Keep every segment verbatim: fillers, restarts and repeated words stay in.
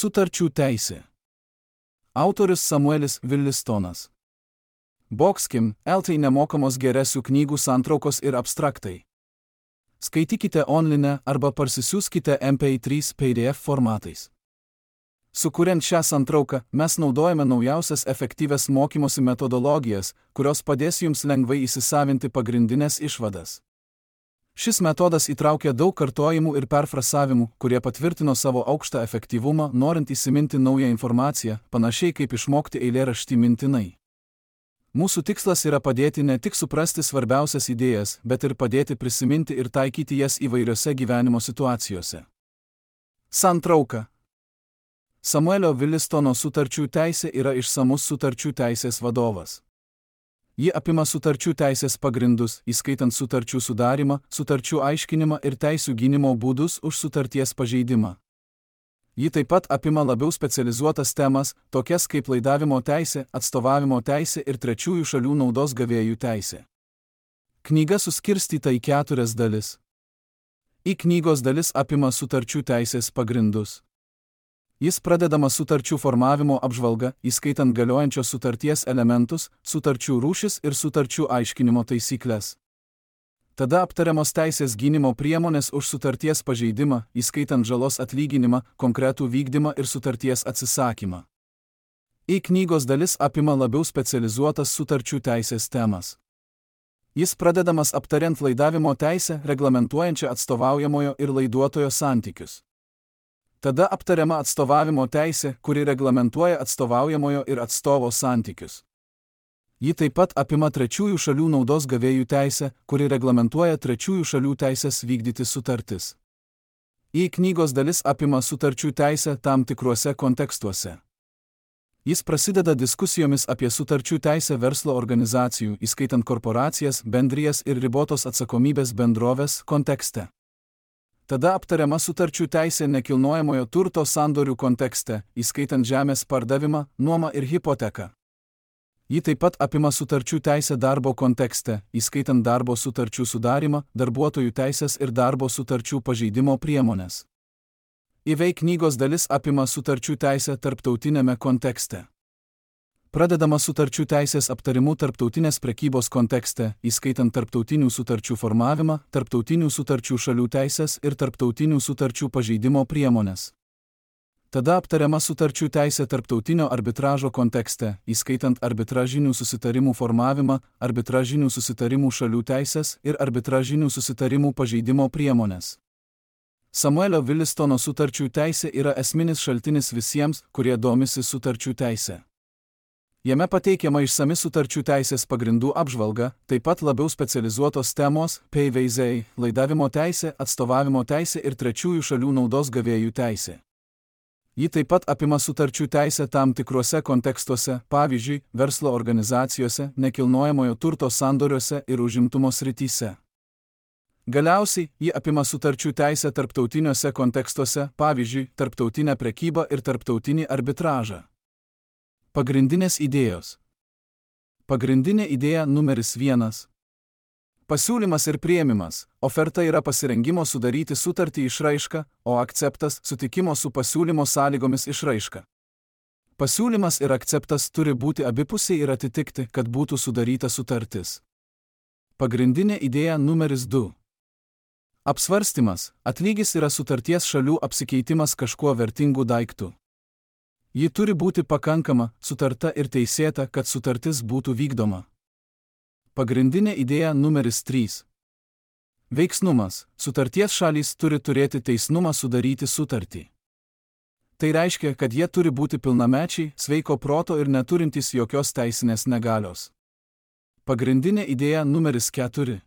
Sutarčių teisė. Autorius Samuelis Willistonas. Boxkim, eltai nemokamos geresių knygų santraukos ir abstraktai. Skaitykite online arba parsisiųskite M P trys P D F formatais. Sukuriant šią santrauką, mes naudojame naujausias efektyvias mokymosi metodologijas, kurios padės jums lengvai įsisavinti pagrindinės išvadas. Šis metodas įtraukia daug kartojimų ir perfrasavimų, kurie patvirtino savo aukštą efektyvumą, norint įsiminti naują informaciją, panašiai kaip išmokti eilėraštį mintinai. Mūsų tikslas yra padėti ne tik suprasti svarbiausias idėjas, bet ir padėti prisiminti ir taikyti jas įvairiose gyvenimo situacijose. Santrauka. Samuelio Willistono sutarčių teisė yra išsamus sutarčių teisės vadovas. Ji apima sutarčių teisės pagrindus, įskaitant sutarčių sudarimą, sutarčių aiškinimą ir teisių gynimo būdus už sutarties pažeidimą. Ji taip pat apima labiau specializuotas temas, tokias kaip laidavimo teisė, atstovavimo teisė ir trečiųjų šalių naudos gavėjų teisė. Knyga suskirstyta į keturias dalis. Į knygos dalis apima sutarčių teisės pagrindus. Jis pradedama sutarčių formavimo apžvalga, įskaitant galiojančios sutarties elementus, sutarčių rūšis ir sutarčių aiškinimo taisyklės. Tada aptariamos teisės gynimo priemonės už sutarties pažeidimą, įskaitant žalos atlyginimą, konkretų vykdymą ir sutarties atsisakymą. Į knygos dalis apima labiau specializuotas sutarčių teisės temas. Jis pradedamas aptariant laidavimo teisę, reglamentuojančią atstovaujamojo ir laiduotojo santykius. Tada aptariama atstovavimo teisė, kuri reglamentuoja atstovaujamojo ir atstovo santykius. Ji taip pat apima trečiųjų šalių naudos gavėjų teisę, kuri reglamentuoja trečiųjų šalių teisės vykdyti sutartis. Į knygos dalis apima sutarčių teisę tam tikruose kontekstuose. Jis prasideda diskusijomis apie sutarčių teisę verslo organizacijų, įskaitant korporacijas, bendrijas ir ribotos atsakomybės bendroves kontekste. Tada aptariama sutarčių teisė nekilnojamojo turto sandorių kontekste, įskaitant žemės pardavimą, nuomą ir hipoteką. Ji taip pat apima sutarčių teisę darbo kontekste, įskaitant darbo sutarčių sudarimą, darbuotojų teisės ir darbo sutarčių pažeidimo priemonės. Įveik knygos dalis apima sutarčių teisę tarptautinėme kontekste. Pradedama sutarčių teisės aptarimu tarptautinės prekybos kontekste, įskaitant tarptautinių sutarčių formavimą, tarptautinių sutarčių šalių teisės ir tarptautinių sutarčių pažeidimo priemonės. Tada aptariama sutarčių teisė tarptautinio arbitražo kontekste, įskaitant arbitražinių susitarimų formavimą, arbitražinių susitarimų šalių teisės ir arbitražinių susitarimų pažeidimo priemonės. Samuelio Willistono sutarčių teisė yra esminis šaltinis visiems, kurie domisi sutarčių teisė. Jame pateikiama išsami sutarčių teisės pagrindų apžvalga, taip pat labiau specializuotos temos, P V Z, laidavimo teisė, atstovavimo teisė ir trečiųjų šalių naudos gavėjų teisė. Ji taip pat apima sutarčių teisę tam tikruose kontekstuose, pavyzdžiui, verslo organizacijose, nekilnojamojo turto sandoriuose ir užimtumo srityse. Galiausiai, ji apima sutarčių teisę tarptautiniuose kontekstuose, pavyzdžiui, tarptautinę prekybą ir tarptautinį arbitražą. Pagrindinės idėjos. Pagrindinė idėja numeris vienas. Pasiūlymas ir priėmimas. Oferta yra pasirengimo sudaryti sutartį išraiška, o akceptas sutikimo su pasiūlymo sąlygomis išraiška. Pasiūlymas ir akceptas turi būti abipusiai ir atitikti, kad būtų sudaryta sutartis. Pagrindinė idėja numeris du. Apsvarstymas. Atlygis yra sutarties šalių apsikeitimas kažkuo vertingu daiktu. Ji turi būti pakankama, sutarta ir teisėta, kad sutartis būtų vykdoma. Pagrindinė idėja numeris trys. Veiksnumas. Sutarties šalys turi turėti teisnumą sudaryti sutartį. Tai reiškia, kad jie turi būti pilnamečiai, sveiko proto ir neturintys jokios teisinės negalios. Pagrindinė idėja numeris keturi.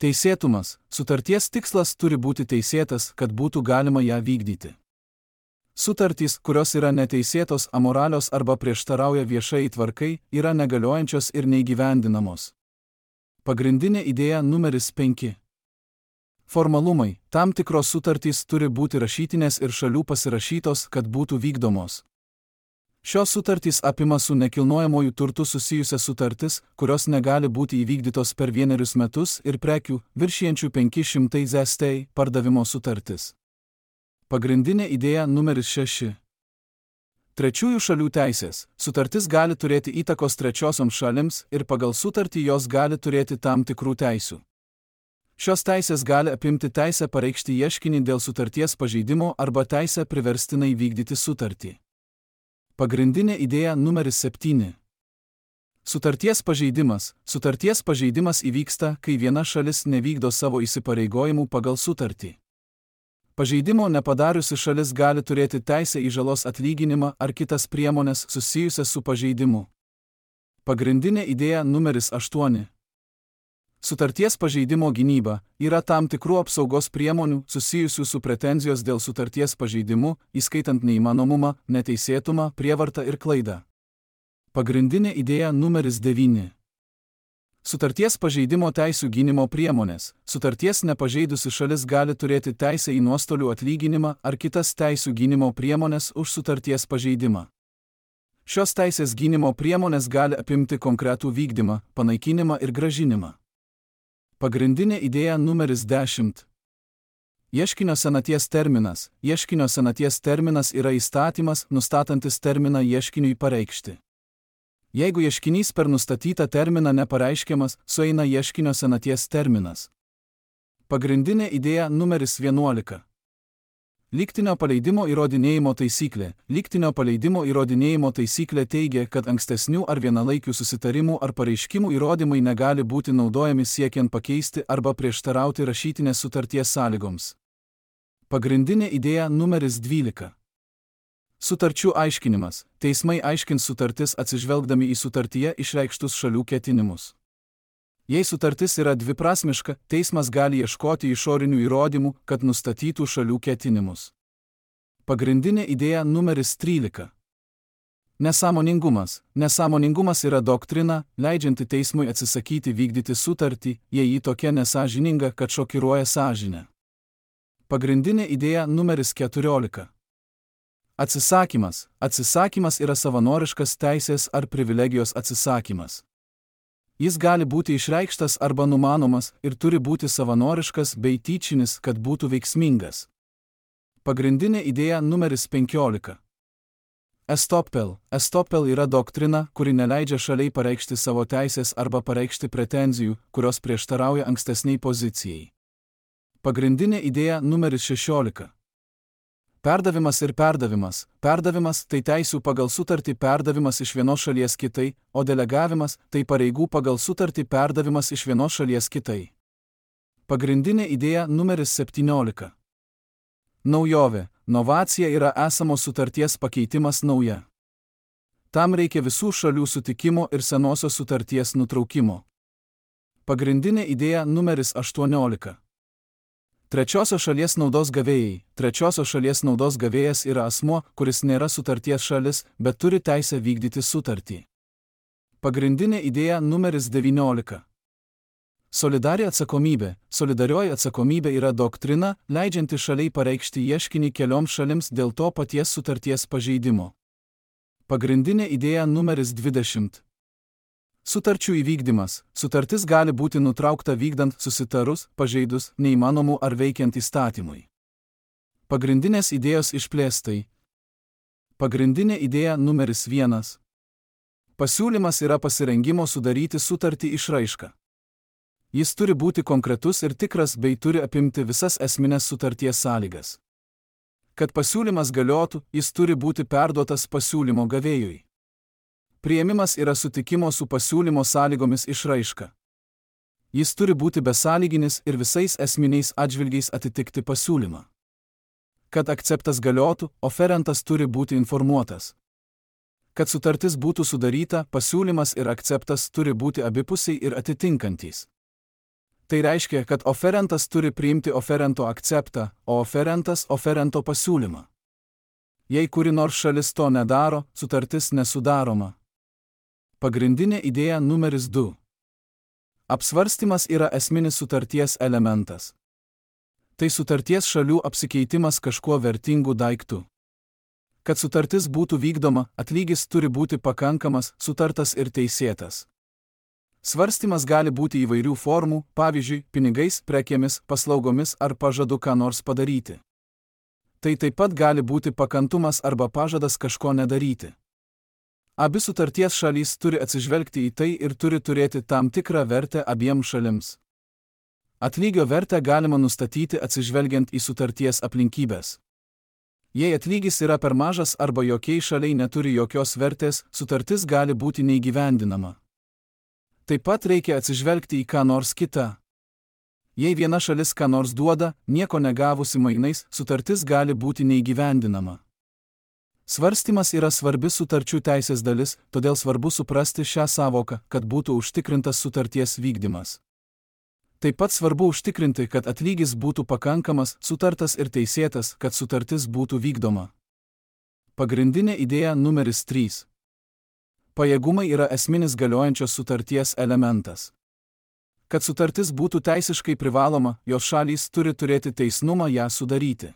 Teisėtumas. Sutarties tikslas turi būti teisėtas, kad būtų galima ją vykdyti. Sutartys, kurios yra neteisėtos, amoralios arba prieštarauja viešai tvarkai, yra negaliojančios ir neįgyvendinamos. Pagrindinė idėja numeris penki. Formalumai. Tam tikros sutartys turi būti rašytinės ir šalių pasirašytos, kad būtų vykdomos. Šios sutartys apima su nekilnojamuoju turtu susijusias sutartis, kurios negali būti įvykdytos per vienerius metus ir prekių, viršijančių penki šimtai zlotų pardavimo sutartis. Pagrindinė idėja numeris šeši. Trečiųjų šalių teisės. Sutartis gali turėti įtakos trečiosioms šalims ir pagal sutartį jos gali turėti tam tikrų teisių. Šios teisės gali apimti teisę pareikšti ieškinį dėl sutarties pažeidimo arba teisę priverstinai vykdyti sutartį. Pagrindinė idėja numeris septyni. Sutarties pažeidimas. Sutarties pažeidimas įvyksta, kai viena šalis nevykdo savo įsipareigojimų pagal sutartį. Pažeidimo nepadariusi šalis gali turėti teisę į žalos atlyginimą ar kitas priemonės susijusias su pažeidimu. Pagrindinė idėja numeris aštuoni. Sutarties pažeidimo gynyba yra tam tikrų apsaugos priemonių susijusių su pretenzijos dėl sutarties pažeidimu, įskaitant neįmanomumą, neteisėtumą, prievartą ir klaidą. Pagrindinė idėja numeris devyni. Sutarties pažeidimo teisių gynimo priemonės. Sutarties nepažeidusi šalis gali turėti teisę į nuostolių atlyginimą ar kitas teisių gynimo priemonės už sutarties pažeidimą. Šios teisės gynimo priemonės gali apimti konkretų vykdymą, panaikinimą ir grąžinimą. Pagrindinė idėja numeris dešimt. Ieškinio senaties terminas. Ieškinio senaties terminas yra įstatymas, nustatantis terminą ieškiniui pareikšti. Jeigu ieškinys per nustatytą terminą nepareiškiamas, sueina ieškinio senaties terminas. Pagrindinė idėja numeris vienuolika. Lygtinio paleidimo įrodinėjimo taisyklė. Lygtinio paleidimo įrodinėjimo taisyklė teigia, kad ankstesnių ar vienalaikių susitarimų ar pareiškimų įrodymai negali būti naudojami siekiant pakeisti arba prieštarauti rašytinės sutarties sąlygoms. Pagrindinė idėja numeris dvylika. Sutarčių aiškinimas. Teismai aiškins sutartis atsižvelgdami į sutartyje išreikštus šalių ketinimus. Jei sutartis yra dviprasmiška, teismas gali ieškoti išorinių įrodymų, kad nustatytų šalių ketinimus. Pagrindinė idėja numeris trylika. Nesąmoningumas. Nesąmoningumas yra doktrina, leidžianti teismui atsisakyti vykdyti sutartį, jei ji tokia nesąžininga, kad šokiruoja sąžinę. Pagrindinė idėja numeris keturiolika. Atsisakymas. Atsisakymas yra savanoriškas teisės ar privilegijos atsisakymas. Jis gali būti išreikštas arba numanomas ir turi būti savanoriškas bei tyčinis, kad būtų veiksmingas. Pagrindinė idėja numeris penkiolika. Estoppel. Estoppel yra doktrina, kuri neleidžia šaliai pareikšti savo teisės arba pareikšti pretenzijų, kurios prieštarauja ankstesniai pozicijai. Pagrindinė idėja numeris šešiolika. Perdavimas ir perdavimas. Perdavimas tai teisių pagal sutartį perdavimas iš vienos šalies kitai, o delegavimas tai pareigų pagal sutartį perdavimas iš vienos šalies kitai. Pagrindinė idėja numeris septyniolika. Naujovė. Novacija yra esamos sutarties pakeitimas nauja. Tam reikia visų šalių sutikimo ir senosios sutarties nutraukimo. Pagrindinė idėja numeris aštuoniolika. Trečiosios šalies naudos gavėjai. Trečiosios šalies naudos gavėjas yra asmuo, kuris nėra sutarties šalis, bet turi teisę vykdyti sutartį. Pagrindinė idėja numeris devyniolika. Solidari atsakomybė. Solidarioji atsakomybė yra doktrina, leidžianti šaliai pareikšti ieškinį kelioms šalims dėl to paties sutarties pažeidimo. Pagrindinė idėja numeris dvidešimt. Sutarčių įvykdymas. Sutartis gali būti nutraukta vykdant susitarus, pažeidus, neįmanomų ar veikiant įstatymui. Pagrindinės idėjos išplėstai. Pagrindinė idėja numeris vienas. Pasiūlymas yra pasirengimo sudaryti sutartį išraiška. Jis turi būti konkretus ir tikras bei turi apimti visas esminės sutarties sąlygas. Kad pasiūlymas galiotų, jis turi būti perduotas pasiūlymo gavėjui. Priėmimas yra sutikimo su pasiūlymo sąlygomis išraiška. Jis turi būti besąlyginis ir visais esminiais atžvilgiais atitikti pasiūlymą. Kad akceptas galiotų, oferentas turi būti informuotas. Kad sutartis būtų sudaryta, pasiūlymas ir akceptas turi būti abipusiai ir atitinkantys. Tai reiškia, kad oferentas turi priimti oferento akceptą, o oferentas oferento pasiūlymą. Jei kuri nors šalis to nedaro, sutartis nesudaroma. Pagrindinė idėja numeris du. Apsvarstymas yra esminis sutarties elementas. Tai sutarties šalių apsikeitimas kažkuo vertingu daiktu. Kad sutartis būtų vykdoma, atlygis turi būti pakankamas, sutartas ir teisėtas. Svarstymas gali būti įvairių formų, pavyzdžiui, pinigais, prekėmis, paslaugomis ar pažadu ką nors padaryti. Tai taip pat gali būti pakantumas arba pažadas kažko nedaryti. Abi sutarties šalys turi atsižvelgti į tai ir turi turėti tam tikrą vertę abiem šalims. Atlygio vertę galima nustatyti atsižvelgiant į sutarties aplinkybės. Jei atlygis yra per mažas arba jokiai šaliai neturi jokios vertės, sutartis gali būti neįgyvendinama. Taip pat reikia atsižvelgti į ką nors kitą. Jei viena šalis ką nors duoda, nieko negavusi mainais, sutartis gali būti neįgyvendinama. Svarstymas yra svarbi sutarčių teisės dalis, todėl svarbu suprasti šią sąvoką, kad būtų užtikrintas sutarties vykdymas. Taip pat svarbu užtikrinti, kad atlygis būtų pakankamas, sutartas ir teisėtas, kad sutartis būtų vykdoma. Pagrindinė idėja numeris trys. Pajėgumai yra esminis galiojančios sutarties elementas. Kad sutartis būtų teisiškai privaloma, jos šalys turi turėti teisnumą ją sudaryti.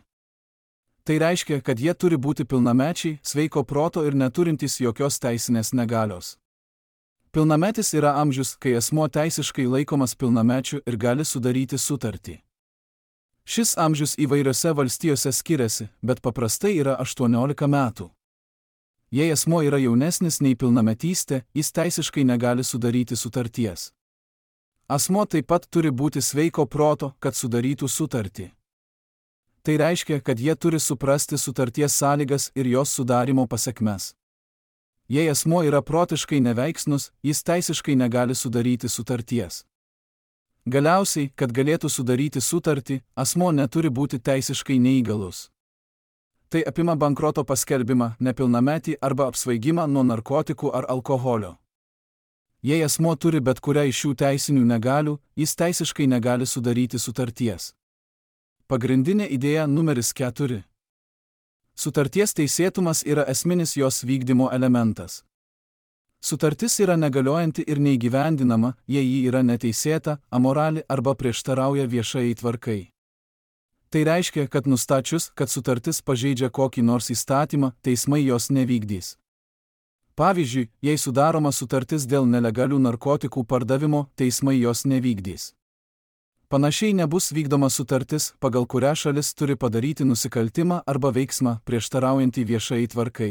Tai reiškia, kad jie turi būti pilnamečiai, sveiko proto ir neturintys jokios teisinės negalios. Pilnametis yra amžius, kai asmuo teisiškai laikomas pilnamečiu ir gali sudaryti sutartį. Šis amžius įvairiose valstijose skiriasi, bet paprastai yra aštuoniolika metų. Jei asmuo yra jaunesnis nei pilnametystė, jis teisiškai negali sudaryti sutarties. Asmuo taip pat turi būti sveiko proto, kad sudarytų sutartį. Tai reiškia, kad jie turi suprasti sutarties sąlygas ir jos sudarimo pasekmes. Jei asmuo yra protiškai neveiksnus, jis teisiškai negali sudaryti sutarties. Galiausiai, kad galėtų sudaryti sutartį, asmuo neturi būti teisiškai neįgalus. Tai apima bankroto paskelbimą, nepilnametį arba apsvaigimą nuo narkotikų ar alkoholio. Jei asmuo turi bet kurią iš šių teisinių negalių, jis teisiškai negali sudaryti sutarties. Pagrindinė idėja numeris keturi. Sutarties teisėtumas yra esminis jos vykdymo elementas. Sutartis yra negaliojanti ir neįgyvendinama, jei ji yra neteisėta, amorali arba prieštarauja viešai tvarkai. Tai reiškia, kad nustačius, kad sutartis pažeidžia kokį nors įstatymą, teismai jos nevykdys. Pavyzdžiui, jei sudaroma sutartis dėl nelegalių narkotikų pardavimo, teismai jos nevykdys. Panašiai nebus vykdoma sutartis, pagal kurią šalis turi padaryti nusikaltimą arba veiksmą prieštaraujantį viešai tvarkai.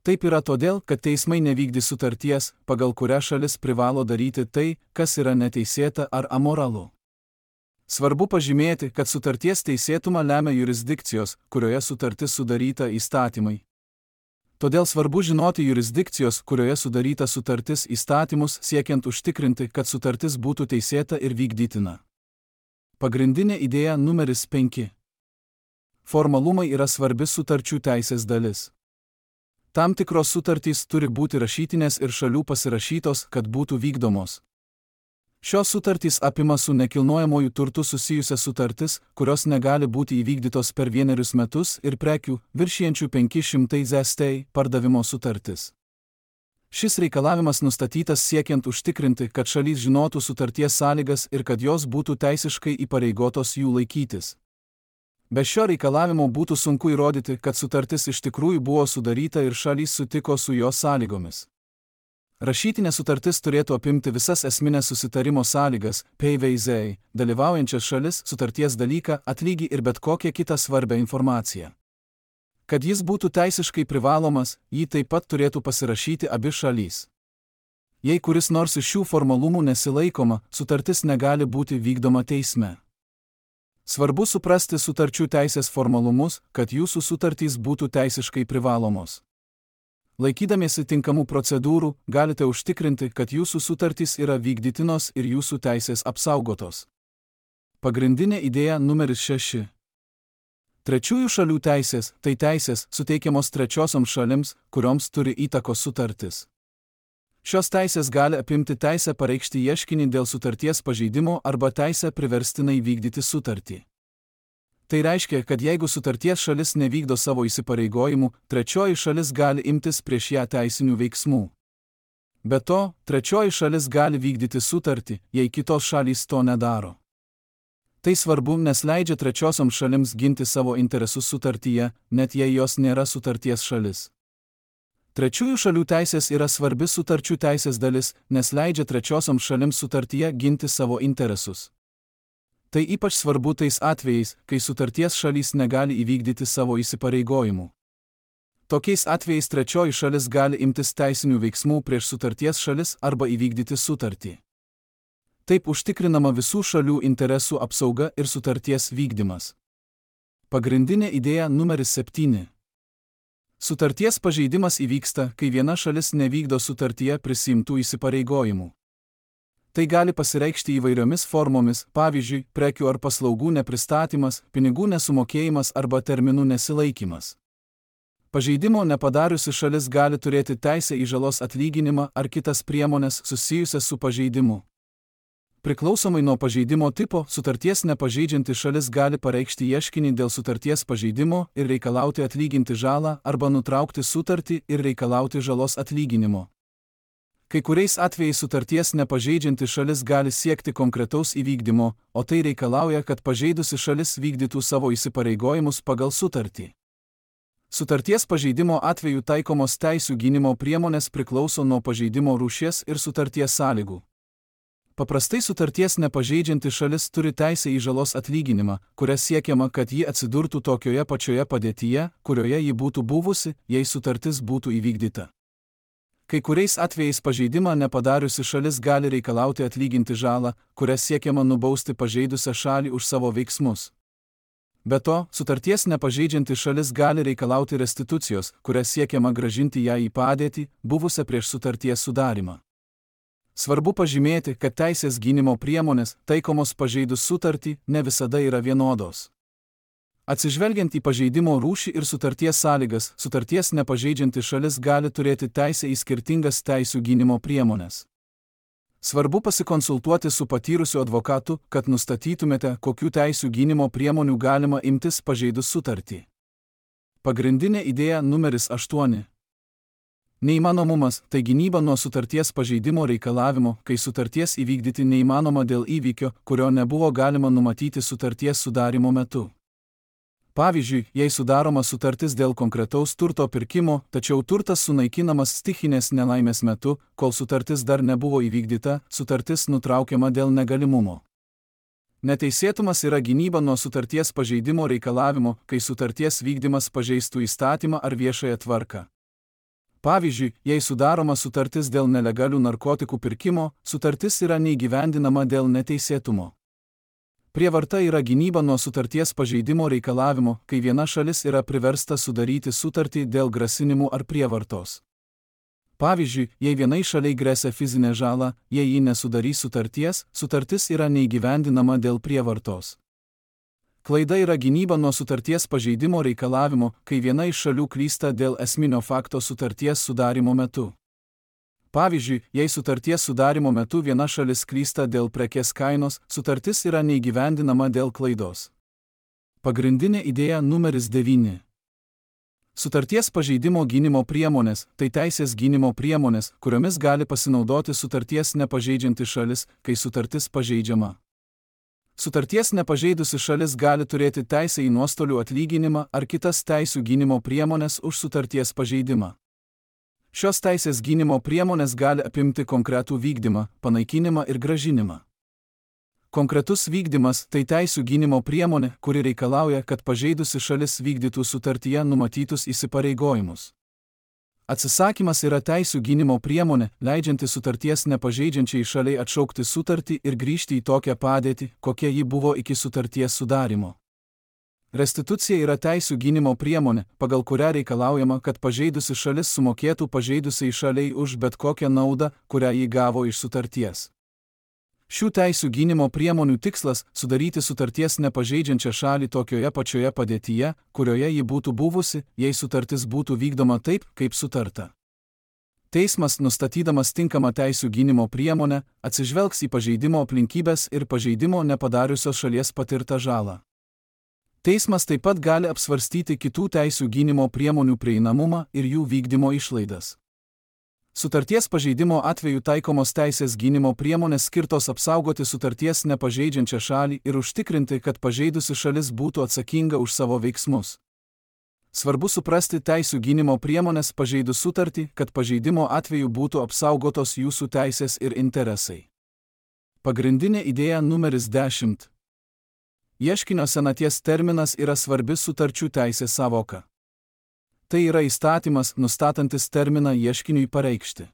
Taip yra todėl, kad teismai nevykdys sutarties, pagal kurią šalis privalo daryti tai, kas yra neteisėta ar amoralu. Svarbu pažymėti, kad sutarties teisėtumą lemia jurisdikcijos, kurioje sutartis sudaryta įstatymai. Todėl svarbu žinoti jurisdikcijos, kurioje sudaryta sutartis įstatymus, siekiant užtikrinti, kad sutartis būtų teisėta ir vykdytina. Pagrindinė idėja numeris penki. Formalumai yra svarbi sutarčių teisės dalis. Tam tikros sutartys turi būti rašytinės ir šalių pasirašytos, kad būtų vykdomos. Šios sutartys apima su nekilnojamuoju turtu susijusias sutartis, kurios negali būti įvykdytos per vienerius metus ir prekių, viršijančių penki šimtai zlotų, pardavimo sutartis. Šis reikalavimas nustatytas siekiant užtikrinti, kad šalys žinotų sutarties sąlygas ir kad jos būtų teisiškai įpareigotos jų laikytis. Be šio reikalavimo būtų sunku įrodyti, kad sutartis iš tikrųjų buvo sudaryta ir šalys sutiko su jos sąlygomis. Rašytinė sutartis turėtų apimti visas esminės susitarimo sąlygas, P V Z, dalyvaujančias šalis, sutarties dalyką, atlygį ir bet kokią kitą svarbią informaciją. Kad jis būtų teisiškai privalomas, jį taip pat turėtų pasirašyti abi šalys. Jei kuris nors iš šių formalumų nesilaikoma, sutartis negali būti vykdoma teisme. Svarbu suprasti sutarčių teisės formalumus, kad jūsų sutartys būtų teisiškai privalomos. Laikydamiesi tinkamų procedūrų, galite užtikrinti, kad jūsų sutartys yra vykdytinos ir jūsų teisės apsaugotos. Pagrindinė idėja numeris šeši. Trečiųjų šalių teisės – tai teisės suteikiamos trečiosioms šalims, kurioms turi įtakos sutartis. Šios teisės gali apimti teisę pareikšti ieškinį dėl sutarties pažeidimo arba teisę priverstinai vykdyti sutartį. Tai reiškia, kad jeigu sutarties šalis nevykdo savo įsipareigojimų, trečioji šalis gali imtis prieš ją teisinių veiksmų. Be to, trečioji šalis gali vykdyti sutartį, jei kitos šalys to nedaro. Tai svarbu, nes leidžia trečiosioms šalims ginti savo interesus sutartyje, net jei jos nėra sutarties šalis. Trečiųjų šalių teisės yra svarbi sutarčių teisės dalis, nes leidžia trečiosioms šalims sutartyje ginti savo interesus. Tai ypač svarbu tais atvejais, kai sutarties šalys negali įvykdyti savo įsipareigojimų. Tokiais atvejais trečioji šalis gali imtis teisinių veiksmų prieš sutarties šalis arba įvykdyti sutartį. Taip užtikrinama visų šalių interesų apsauga ir sutarties vykdymas. Pagrindinė idėja numeris septyni. Sutarties pažeidimas įvyksta, kai viena šalis nevykdo sutartyje prisimtų įsipareigojimų. Tai gali pasireikšti įvairiomis formomis, pavyzdžiui, prekių ar paslaugų nepristatymas, pinigų nesumokėjimas arba terminų nesilaikymas. Pažeidimo nepadariusi šalis gali turėti teisę į žalos atlyginimą ar kitas priemones susijusias su pažeidimu. Priklausomai nuo pažeidimo tipo, sutarties nepažeidžianti šalis gali pareikšti ieškinį dėl sutarties pažeidimo ir reikalauti atlyginti žalą arba nutraukti sutartį ir reikalauti žalos atlyginimo. Kai kuriais atvejais sutarties nepažeidžianti šalis gali siekti konkretaus įvykdymo, o tai reikalauja, kad pažeidusi šalis vykdytų savo įsipareigojimus pagal sutartį. Sutarties pažeidimo atveju taikomos teisių gynimo priemonės priklauso nuo pažeidimo rūšies ir sutarties sąlygų. Paprastai sutarties nepažeidžianti šalis turi teisę į žalos atlyginimą, kuria siekiama, kad ji atsidurtų tokioje pačioje padėtyje, kurioje ji būtų buvusi, jei sutartis būtų įvykdyta. Kai kuriais atvejais pažeidimą nepadariusi šalis gali reikalauti atlyginti žalą, kuria siekiama nubausti pažeidusią šalį už savo veiksmus. Be to, sutarties nepažeidžianti šalis gali reikalauti restitucijos, kuria siekiama grąžinti ją į padėtį, buvusią prieš sutarties sudarymą. Svarbu pažymėti, kad teisės gynimo priemonės, taikomos pažeidus sutartį, ne visada yra vienodos. Atsižvelgiant į pažeidimo rūšį ir sutarties sąlygas, sutarties nepažeidžianti šalis gali turėti teisę į skirtingas teisių gynimo priemonės. Svarbu pasikonsultuoti su patyrusiu advokatu, kad nustatytumėte, kokių teisių gynimo priemonių galima imtis pažeidus sutartį. Pagrindinė idėja numeris aštuoni. Neįmanomumas – tai gynyba nuo sutarties pažeidimo reikalavimo, kai sutarties įvykdyti neįmanoma dėl įvykio, kurio nebuvo galima numatyti sutarties sudarimo metu. Pavyzdžiui, jei sudaroma sutartis dėl konkretaus turto pirkimo, tačiau turtas sunaikinamas stichinės nelaimės metu, kol sutartis dar nebuvo įvykdyta, sutartis nutraukiama dėl negalimumo. Neteisėtumas yra gynyba nuo sutarties pažeidimo reikalavimo, kai sutarties vykdymas pažeistų įstatymą ar viešąją tvarką. Pavyzdžiui, jei sudaroma sutartis dėl nelegalių narkotikų pirkimo, sutartis yra neįgyvendinama dėl neteisėtumo. Prievarta yra gynyba nuo sutarties pažeidimo reikalavimo, kai viena šalis yra priversta sudaryti sutartį dėl grasinimų ar prievartos. Pavyzdžiui, jei vienai šaliai gresia fizinė žala, jei ji nesudarys sutarties, sutartis yra neįgyvendinama dėl prievartos. Klaida yra gynyba nuo sutarties pažeidimo reikalavimo, kai viena iš šalių klysta dėl esminio fakto sutarties sudarimo metu. Pavyzdžiui, jei sutarties sudarimo metu viena šalis klysta dėl prekės kainos, sutartis yra neįgyvendinama dėl klaidos. Pagrindinė idėja numeris devyni. Sutarties pažeidimo gynimo priemonės – tai teisės gynimo priemonės, kuriomis gali pasinaudoti sutarties nepažeidžianti šalis, kai sutartis pažeidžiama. Sutarties nepažeidusi šalis gali turėti teisę į nuostolių atlyginimą ar kitas teisių gynimo priemonės už sutarties pažeidimą. Šios teisės gynimo priemonės gali apimti konkretų vykdymą, panaikinimą ir grąžinimą. Konkretus vykdymas – tai teisių gynimo priemonė, kuri reikalauja, kad pažeidusi šalis vykdytų sutartyje numatytus įsipareigojimus. Atsisakymas yra teisių gynimo priemonė, leidžianti sutarties nepažeidžiančiai šaliai atšaukti sutartį ir grįžti į tokią padėtį, kokia ji buvo iki sutarties sudarimo. Restitucija yra teisių gynimo priemonė, pagal kurią reikalaujama, kad pažeidusi šalis sumokėtų pažeidusiai šaliai už bet kokią naudą, kurią ji gavo iš sutarties. Šių teisių gynimo priemonių tikslas – sudaryti sutarties nepažeidžiančią šalį tokioje pačioje padėtyje, kurioje ji būtų buvusi, jei sutartis būtų vykdoma taip, kaip sutarta. Teismas, nustatydamas tinkamą teisių gynimo priemonę, atsižvelgs į pažeidimo aplinkybes ir pažeidimo nepadariusios šalies patirtą žalą. Teismas taip pat gali apsvarstyti kitų teisių gynimo priemonių prieinamumą ir jų vykdymo išlaidas. Sutarties pažeidimo atveju taikomos teisės gynimo priemonės skirtos apsaugoti sutarties nepažeidžiančią šalį ir užtikrinti, kad pažeidusi šalis būtų atsakinga už savo veiksmus. Svarbu suprasti teisių gynimo priemonės pažeidus sutartį, kad pažeidimo atveju būtų apsaugotos jūsų teisės ir interesai. Pagrindinė idėja numeris dešimt. Ieškinio senaties terminas yra svarbi sutarčių teisės sąvoka. Tai yra įstatymas, nustatantis terminą ieškiniui pareikšti.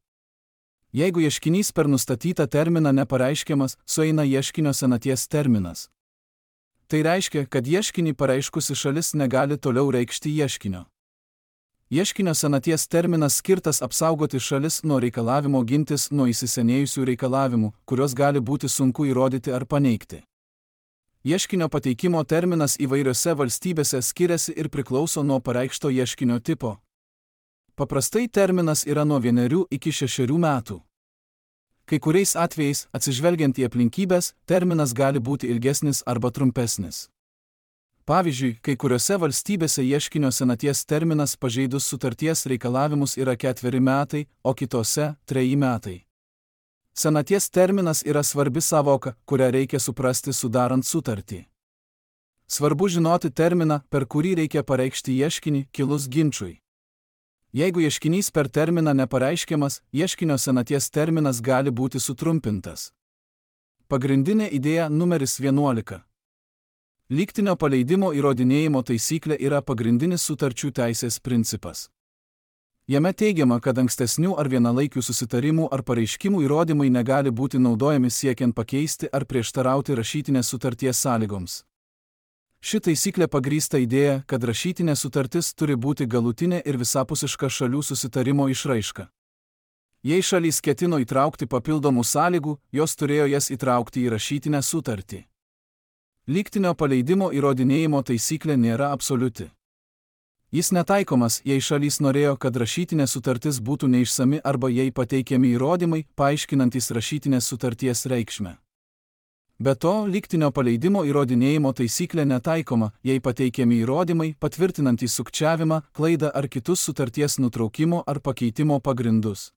Jeigu ieškinys per nustatytą terminą nepareiškiamas, sueina ieškinio senaties terminas. Tai reiškia, kad ieškinį pareiškusi šalis negali toliau reikšti ieškinio. Ieškinio senaties terminas skirtas apsaugoti šalis nuo reikalavimo gintis nuo įsisenėjusių reikalavimų, kuriuos gali būti sunku įrodyti ar paneigti. Ieškinio pateikimo terminas įvairiose valstybėse skiriasi ir priklauso nuo pareikšto ieškinio tipo. Paprastai terminas yra nuo vienerių iki šešerių metų. Kai kuriais atvejais, atsižvelgiant į aplinkybės, terminas gali būti ilgesnis arba trumpesnis. Pavyzdžiui, kai kuriuose valstybėse ieškinio senaties terminas pažeidus sutarties reikalavimus yra ketveri metai, o kitose – treji metai. Senaties terminas yra svarbi sąvoka, kurią reikia suprasti sudarant sutartį. Svarbu žinoti terminą, per kurį reikia pareikšti ieškinį kilus ginčui. Jeigu ieškinys per terminą nepareiškiamas, ieškinio senaties terminas gali būti sutrumpintas. Pagrindinė idėja numeris vienuolika. Lygtinio paleidimo įrodinėjimo taisyklė yra pagrindinis sutarčių teisės principas. Jame teigiama, kad ankstesnių ar vienalaikių susitarimų ar pareiškimų įrodymai negali būti naudojami siekiant pakeisti ar prieštarauti rašytinės sutarties sąlygoms. Ši taisyklė pagrįsta idėja, kad rašytinė sutartis turi būti galutinė ir visapusiška šalių susitarimo išraiška. Jei šalys ketino įtraukti papildomų sąlygų, jos turėjo jas įtraukti į rašytinę sutartį. Lygtinio paleidimo įrodinėjimo taisyklė nėra absoliuti. Jis netaikomas, jei šalys norėjo, kad rašytinė sutartis būtų neišsami arba jei pateikiami įrodymai, paaiškinantys rašytinės sutarties reikšmę. Be to, lygtinio paleidimo įrodinėjimo taisyklė netaikoma, jei pateikiami įrodymai, patvirtinantys sukčiavimą, klaidą ar kitus sutarties nutraukimo ar pakeitimo pagrindus.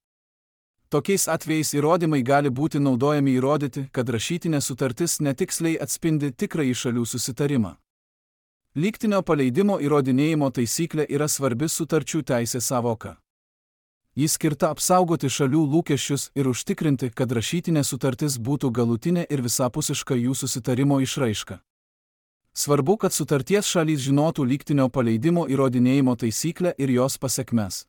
Tokiais atvejais įrodymai gali būti naudojami įrodyti, kad rašytinė sutartis netiksliai atspindi tikrąjį šalių susitarimą. Lygtinio paleidimo įrodinėjimo taisyklė yra svarbi sutarčių teisės sąvoka. Jis skirta apsaugoti šalių lūkesčius ir užtikrinti, kad rašytinė sutartis būtų galutinė ir visapusiška jų susitarimo išraiška. Svarbu, kad sutarties šalys žinotų lygtinio paleidimo įrodinėjimo taisyklę ir jos pasekmes.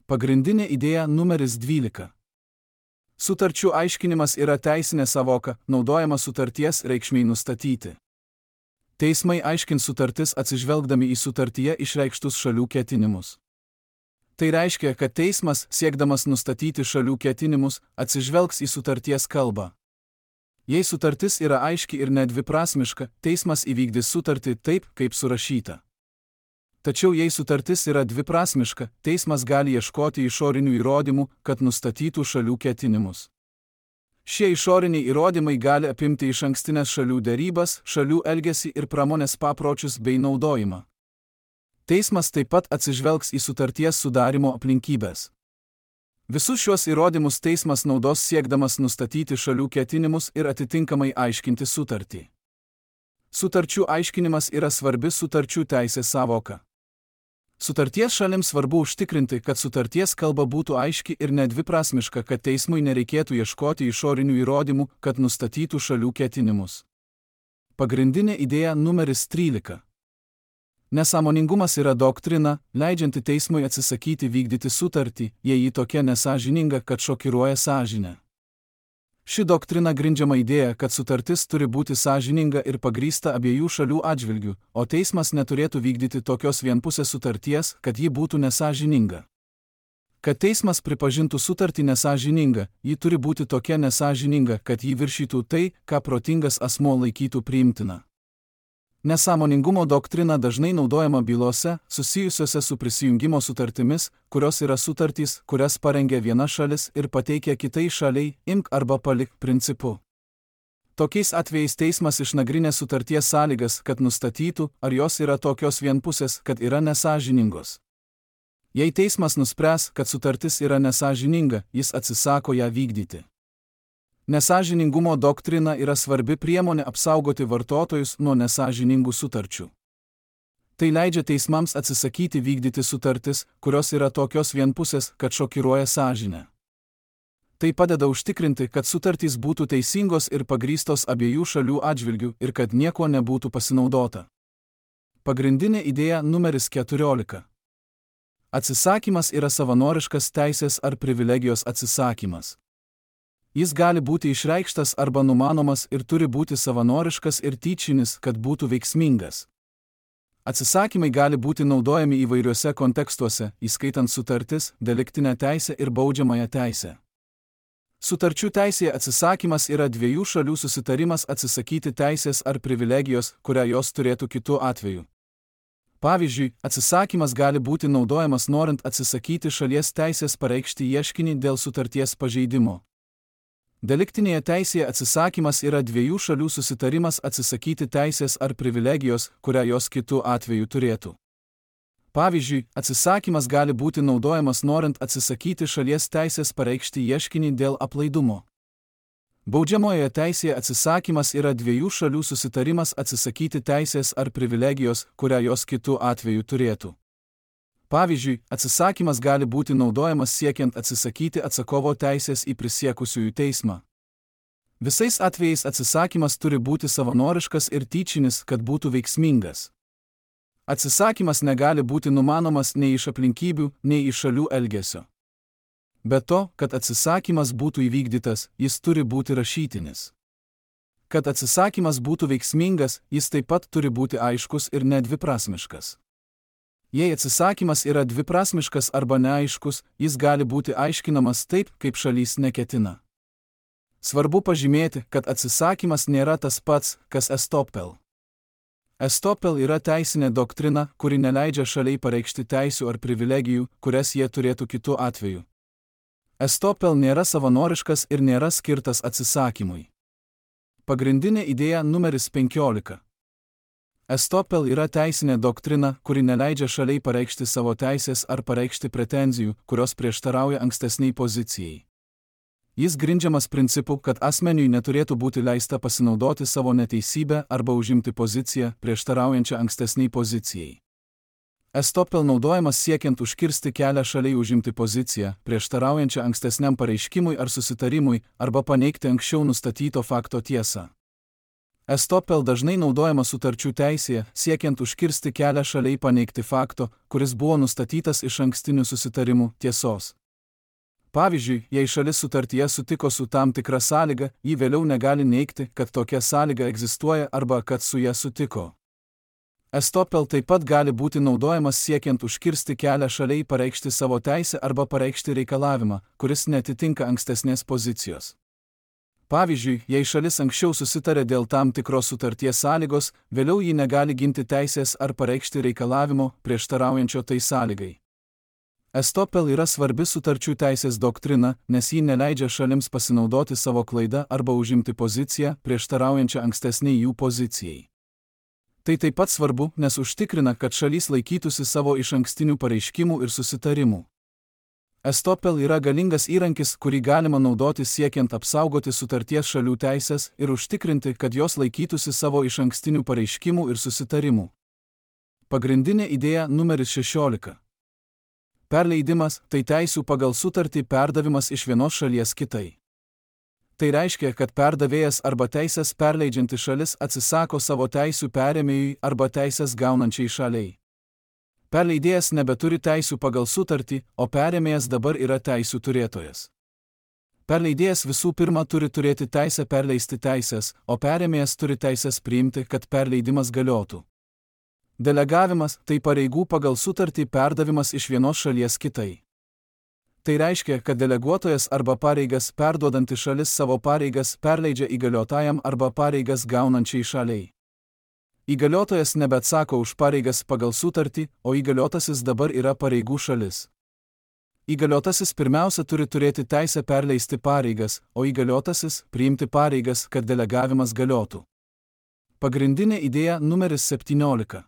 Pagrindinė idėja numeris dvylika. Sutarčių aiškinimas yra teisinė sąvoka, naudojama sutarties reikšmei nustatyti. Teismai aiškins sutartis atsižvelgdami į sutartyje išreikštus šalių ketinimus. Tai reiškia, kad teismas, siekdamas nustatyti šalių ketinimus, atsižvelgs į sutarties kalbą. Jei sutartis yra aiški ir nedviprasmiška, teismas įvykdys sutartį taip, kaip surašyta. Tačiau jei sutartis yra dviprasmiška, teismas gali ieškoti išorinių įrodymų, kad nustatytų šalių ketinimus. Šie išoriniai įrodymai gali apimti išankstinės šalių derybas, šalių elgesį ir pramonės papročius bei naudojimą. Teismas taip pat atsižvelgs į sutarties sudarimo aplinkybės. Visus šios įrodymus teismas naudos siekdamas nustatyti šalių ketinimus ir atitinkamai aiškinti sutartį. Sutarčių aiškinimas yra svarbi sutarčių teisės sąvoka. Sutarties šalims svarbu užtikrinti, kad sutarties kalba būtų aiški ir nedviprasmiška, kad teismui nereikėtų ieškoti išorinių įrodymų, kad nustatytų šalių ketinimus. Pagrindinė idėja numeris trylika. Nesąmoningumas yra doktrina, leidžianti teismui atsisakyti vykdyti sutartį, jei ji tokia nesąžininga, kad šokiruoja sąžinę. Ši doktrina grindžiama idėja, kad sutartis turi būti sąžininga ir pagrįsta abiejų šalių atžvilgių, o teismas neturėtų vykdyti tokios vienpusės sutarties, kad ji būtų nesąžininga. Kad teismas pripažintų sutartį nesąžininga, ji turi būti tokia nesąžininga, kad ji viršytų tai, ką protingas asmuo laikytų priimtina. Nesąmoningumo doktrina dažnai naudojama bylose, susijusiose su prisijungimo sutartimis, kurios yra sutartys, kurias parengia viena šalis ir pateikia kitai šaliai, imk arba palik principu. Tokiais atvejais teismas išnagrinė sutarties sąlygas, kad nustatytų, ar jos yra tokios vienpusės, kad yra nesąžiningos. Jei teismas nuspręs, kad sutartis yra nesąžininga, jis atsisako ją vykdyti. Nesąžiningumo doktrina yra svarbi priemonė apsaugoti vartotojus nuo nesąžiningų sutarčių. Tai leidžia teismams atsisakyti vykdyti sutartis, kurios yra tokios vienpusės, kad šokiruoja sąžinę. Tai padeda užtikrinti, kad sutartys būtų teisingos ir pagrįstos abiejų šalių atžvilgių ir kad nieko nebūtų pasinaudota. Pagrindinė idėja numeris keturiolika. Atsisakymas yra savanoriškas teisės ar privilegijos atsisakymas. Jis gali būti išreikštas arba numanomas ir turi būti savanoriškas ir tyčinis, kad būtų veiksmingas. Atsisakymai gali būti naudojami įvairiuose kontekstuose, įskaitant sutartis, deliktinę teisę ir baudžiamąją teisę. Sutarčių teisėje atsisakymas yra dviejų šalių susitarimas atsisakyti teisės ar privilegijos, kurią jos turėtų kitu atveju. Pavyzdžiui, atsisakymas gali būti naudojamas norint atsisakyti šalies teisės pareikšti ieškinį dėl sutarties pažeidimo. Deliktinėje teisėje atsisakymas yra dviejų šalių susitarimas atsisakyti teisės ar privilegijos, kurią jos kitu atveju turėtų. Pavyzdžiui, atsisakymas gali būti naudojamas norint atsisakyti šalies teisės pareikšti ieškinį dėl aplaidumo. Baudžiamojoje teisėje atsisakymas yra dviejų šalių susitarimas atsisakyti teisės ar privilegijos, kurią jos kitu atveju turėtų. Pavyzdžiui, atsisakymas gali būti naudojamas siekiant atsisakyti atsakovo teisės į prisiekusiųjų teismą. Visais atvejais atsisakymas turi būti savanoriškas ir tyčinis, kad būtų veiksmingas. Atsisakymas negali būti numanomas nei iš aplinkybių, nei iš šalių elgesio. Be to, kad atsisakymas būtų įvykdytas, jis turi būti rašytinis. Kad atsisakymas būtų veiksmingas, jis taip pat turi būti aiškus ir nedviprasmiškas. Jei atsisakymas yra dviprasmiškas arba neaiškus, jis gali būti aiškinamas taip, kaip šalys neketina. Svarbu pažymėti, kad atsisakymas nėra tas pats, kas estopel. Estopel yra teisinė doktrina, kuri neleidžia šaliai pareikšti teisių ar privilegijų, kurias jie turėtų kitu atveju. Estopel nėra savanoriškas ir nėra skirtas atsisakymui. Pagrindinė idėja numeris penkiolika. Estopel yra teisinė doktrina, kuri neleidžia šaliai pareikšti savo teisės ar pareikšti pretenzijų, kurios prieštarauja ankstesniai pozicijai. Jis grindžiamas principu, kad asmeniui neturėtų būti leista pasinaudoti savo neteisybę arba užimti poziciją, prieštaraujančią ankstesniai pozicijai. Estopel naudojamas siekiant užkirsti kelią šaliai užimti poziciją, prieštaraujančią ankstesniam pareiškimui ar susitarimui, arba paneigti anksčiau nustatyto fakto tiesą. Estopel dažnai naudojamas sutarčių teisėje, siekiant užkirsti kelią šaliai paneigti fakto, kuris buvo nustatytas iš ankstinių susitarimų, tiesos. Pavyzdžiui, jei šalis sutartyje sutiko su tam tikra sąlyga, ji vėliau negali neigti, kad tokia sąlyga egzistuoja arba kad su ja sutiko. Estopel taip pat gali būti naudojamas siekiant užkirsti kelią šaliai pareikšti savo teisę arba pareikšti reikalavimą, kuris netitinka ankstesnės pozicijos. Pavyzdžiui, jei šalis anksčiau susitarė dėl tam tikros sutarties sąlygos, vėliau ji negali ginti teisės ar pareikšti reikalavimo, prieštaraujančio tai sąlygai. Estopel yra svarbi sutarčių teisės doktrina, nes ji neleidžia šalims pasinaudoti savo klaidą arba užimti poziciją, prieštaraujančią ankstesniai jų pozicijai. Tai taip pat svarbu, nes užtikrina, kad šalys laikytųsi savo išankstinių pareiškimų ir susitarimų. Estopel yra galingas įrankis, kurį galima naudoti siekiant apsaugoti sutarties šalių teisės ir užtikrinti, kad jos laikytųsi savo išankstinių pareiškimų ir susitarimų. Pagrindinė idėja numeris šešiolika. Perleidimas – tai teisių pagal sutartį perdavimas iš vienos šalies kitai. Tai reiškia, kad perdavėjas arba teisės perleidžianti šalis atsisako savo teisių perėmėjui arba teisės gaunančiai šaliai. Perleidėjas nebeturi teisių pagal sutartį, o perėmėjas dabar yra teisių turėtojas. Perleidėjas visų pirma turi turėti teisę perleisti teisės, o perėmėjas turi teisės priimti, kad perleidimas galiotų. Delegavimas – tai pareigų pagal sutartį perdavimas iš vienos šalies kitai. Tai reiškia, kad deleguotojas arba pareigas perduodanti šalis savo pareigas perleidžia įgaliotajam arba pareigas gaunančiai šaliai. Įgaliotojas nebeatsako už pareigas pagal sutartį, o įgaliotasis dabar yra pareigų šalis. Įgaliotasis pirmiausia turi turėti teisę perleisti pareigas, o įgaliotasis priimti pareigas, kad delegavimas galiotų. Pagrindinė idėja numeris septyniolika.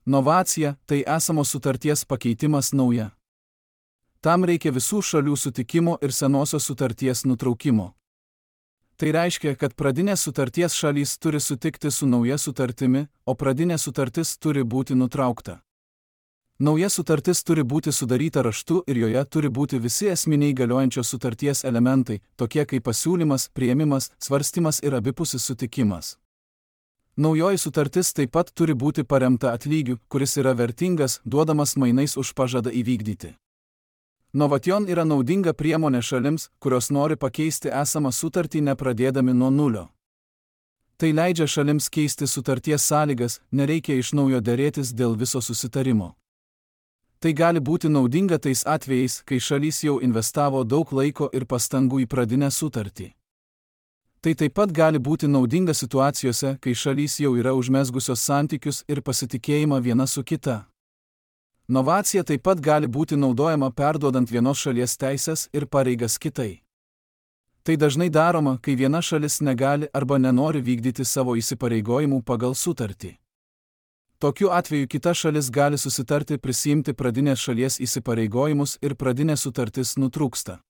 Novacija – tai esamos sutarties pakeitimas nauja. Tam reikia visų šalių sutikimo ir senosios sutarties nutraukimo. Tai reiškia, kad pradinės sutarties šalys turi sutikti su nauja sutartimi, o pradinė sutartis turi būti nutraukta. Nauja sutartis turi būti sudaryta raštu ir joje turi būti visi esminiai galiojančios sutarties elementai, tokie kaip pasiūlymas, priėmimas, svarstymas ir abipusis sutikimas. Naujoji sutartis taip pat turi būti paremta atlygiu, kuris yra vertingas, duodamas mainais už pažadą įvykdyti. Novation yra naudinga priemonė šalims, kurios nori pakeisti esamą sutartį nepradėdami nuo nulio. Tai leidžia šalims keisti sutarties sąlygas, nereikia iš naujo derėtis dėl viso susitarimo. Tai gali būti naudinga tais atvejais, kai šalys jau investavo daug laiko ir pastangų į pradinę sutartį. Tai taip pat gali būti naudinga situacijose, kai šalys jau yra užmezgusios santykius ir pasitikėjimą viena su kita. Novacija taip pat gali būti naudojama perduodant vienos šalies teisės ir pareigas kitai. Tai dažnai daroma, kai viena šalis negali arba nenori vykdyti savo įsipareigojimų pagal sutartį. Tokiu atveju kita šalis gali susitarti prisiimti pradinės šalies įsipareigojimus ir pradinė sutartis nutrūksta.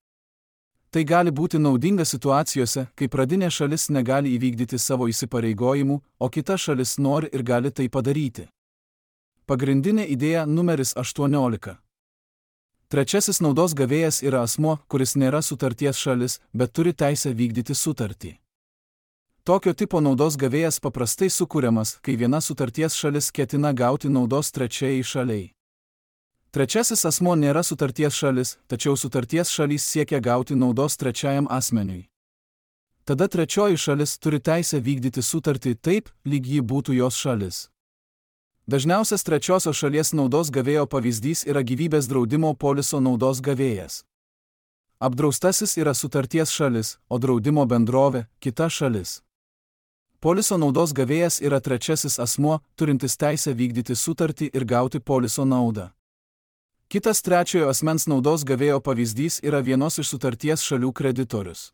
Tai gali būti naudinga situacijose, kai pradinė šalis negali įvykdyti savo įsipareigojimų, o kita šalis nori ir gali tai padaryti. Pagrindinė idėja numeris aštuoniolika. Trečiasis naudos gavėjas yra asmuo, kuris nėra sutarties šalis, bet turi teisę vykdyti sutartį. Tokio tipo naudos gavėjas paprastai sukuriamas, kai viena sutarties šalis ketina gauti naudos trečiajai šaliai. Trečiasis asmuo nėra sutarties šalis, tačiau sutarties šalys siekia gauti naudos trečiajam asmeniui. Tada trečioji šalis turi teisę vykdyti sutartį taip, lyg ji būtų jos šalis. Dažniausias trečiosios šalies naudos gavėjo pavyzdys yra gyvybės draudimo poliso naudos gavėjas. Apdraustasis yra sutarties šalis, o draudimo bendrovė – kita šalis. Poliso naudos gavėjas yra trečiasis asmuo, turintis teisę vykdyti sutartį ir gauti poliso naudą. Kitas trečiojo asmens naudos gavėjo pavyzdys yra vienos iš sutarties šalių kreditorius.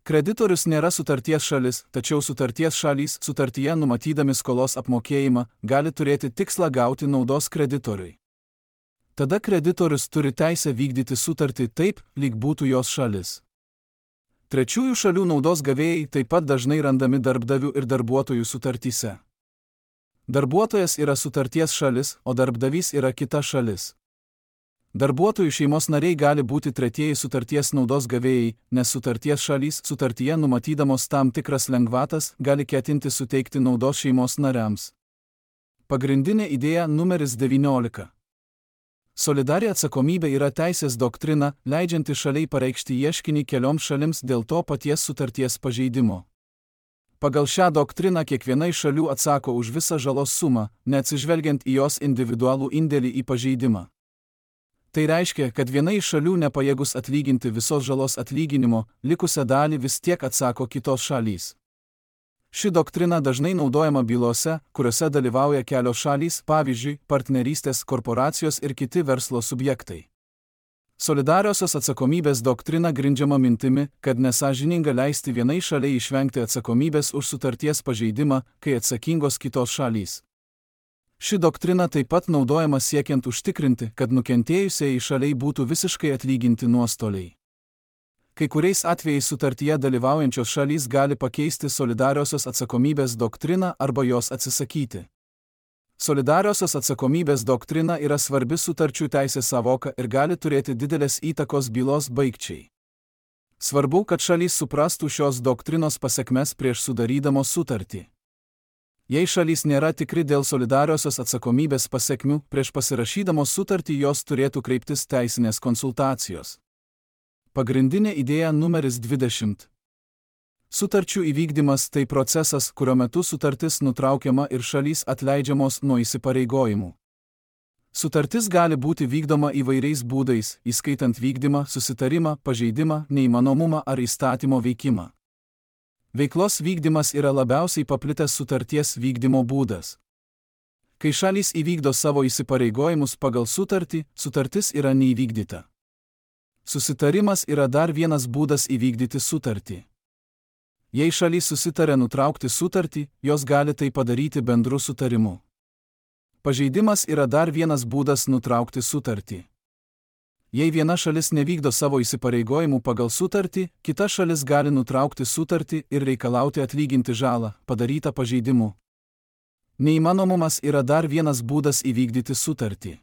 Kreditorius nėra sutarties šalis, tačiau sutarties šalys sutartyje numatydami skolos apmokėjimą gali turėti tikslą gauti naudos kreditoriui. Tada kreditorius turi teisę vykdyti sutartį taip, lyg būtų jos šalis. Trečiųjų šalių naudos gavėjai taip pat dažnai randami darbdavių ir darbuotojų sutartyse. Darbuotojas yra sutarties šalis, o darbdavys yra kita šalis. Darbuotojų šeimos nariai gali būti tretieji sutarties naudos gavėjai, nes sutarties šalys sutartyje numatydamos tam tikras lengvatas gali ketinti suteikti naudos šeimos nariams. Pagrindinė idėja numeris devyniolika. Solidari atsakomybė yra teisės doktrina, leidžianti šaliai pareikšti ieškinį kelioms šalims dėl to paties sutarties pažeidimo. Pagal šią doktriną kiekviena iš šalių atsako už visą žalos sumą, neatsižvelgiant į jos individualų indėlį į pažeidimą. Tai reiškia, kad viena iš šalių nepajėgus atlyginti visos žalos atlyginimo, likusią dalį vis tiek atsako kitos šalys. Ši doktrina dažnai naudojama bylose, kuriuose dalyvauja kelios šalys, pavyzdžiui, partnerystės, korporacijos ir kiti verslo subjektai. Solidariosios atsakomybės doktrina grindžiama mintimi, kad nesąžininga leisti vienai šaliai išvengti atsakomybės už sutarties pažeidimą, kai atsakingos kitos šalys. Ši doktrina taip pat naudojama siekiant užtikrinti, kad nukentėjusiai šaliai būtų visiškai atlyginti nuostoliai. Kai kuriais atvejais sutartyje dalyvaujančios šalys gali pakeisti solidariosios atsakomybės doktriną arba jos atsisakyti. Solidariosios atsakomybės doktrina yra svarbi sutarčių teisės savoka ir gali turėti didelės įtakos bylos baigčiai. Svarbu, kad šalys suprastų šios doktrinos pasekmes prieš sudarydamos sutartį. Jei šalys nėra tikri dėl solidariosios atsakomybės pasekmių, prieš pasirašydamos sutartį jos turėtų kreiptis teisinės konsultacijos. Pagrindinė idėja numeris dvidešimt. Sutarčių įvykdymas tai procesas, kurio metu sutartis nutraukiama ir šalys atleidžiamos nuo įsipareigojimų. Sutartis gali būti vykdoma įvairiais būdais, įskaitant vykdymą, susitarimą, pažeidimą, neįmanomumą ar įstatymo veikimą. Veiklos vykdymas yra labiausiai paplitęs sutarties vykdymo būdas. Kai šalys įvykdo savo įsipareigojimus pagal sutartį, sutartis yra neįvykdyta. Susitarimas yra dar vienas būdas įvykdyti sutartį. Jei šalys susitarė nutraukti sutartį, jos gali tai padaryti bendru sutarimu. Pažeidimas yra dar vienas būdas nutraukti sutartį. Jei viena šalis nevykdo savo įsipareigojimų pagal sutartį, kita šalis gali nutraukti sutartį ir reikalauti atlyginti žalą, padarytą pažeidimu. Neįmanomumas yra dar vienas būdas įvykdyti sutartį.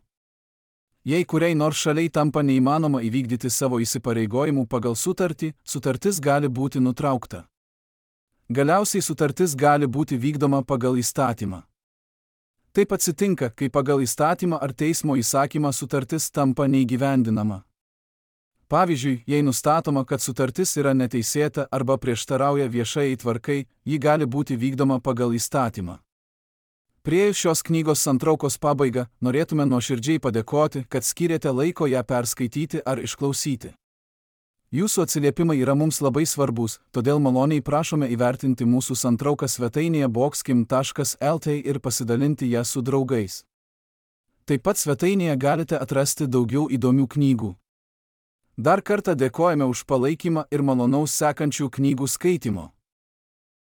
Jei kuriai nors šaliai tampa neįmanoma įvykdyti savo įsipareigojimų pagal sutartį, sutartis gali būti nutraukta. Galiausiai sutartis gali būti vykdoma pagal įstatymą. Taip atsitinka, kai pagal įstatymą ar teismo įsakymą sutartis tampa neįgyvendinama. Pavyzdžiui, jei nustatoma, kad sutartis yra neteisėta arba prieštarauja viešai tvarkai, ji gali būti vykdoma pagal įstatymą. Priėjus šios knygos santraukos pabaigą, norėtume nuoširdžiai padėkoti, kad skyrėte laiko ją perskaityti ar išklausyti. Jūsų atsiliepimai yra mums labai svarbus, todėl maloniai prašome įvertinti mūsų santrauką svetainėje boxkim taškas el t ir pasidalinti ją su draugais. Taip pat svetainėje galite atrasti daugiau įdomių knygų. Dar kartą dėkojame už palaikymą ir malonaus sekančių knygų skaitimo.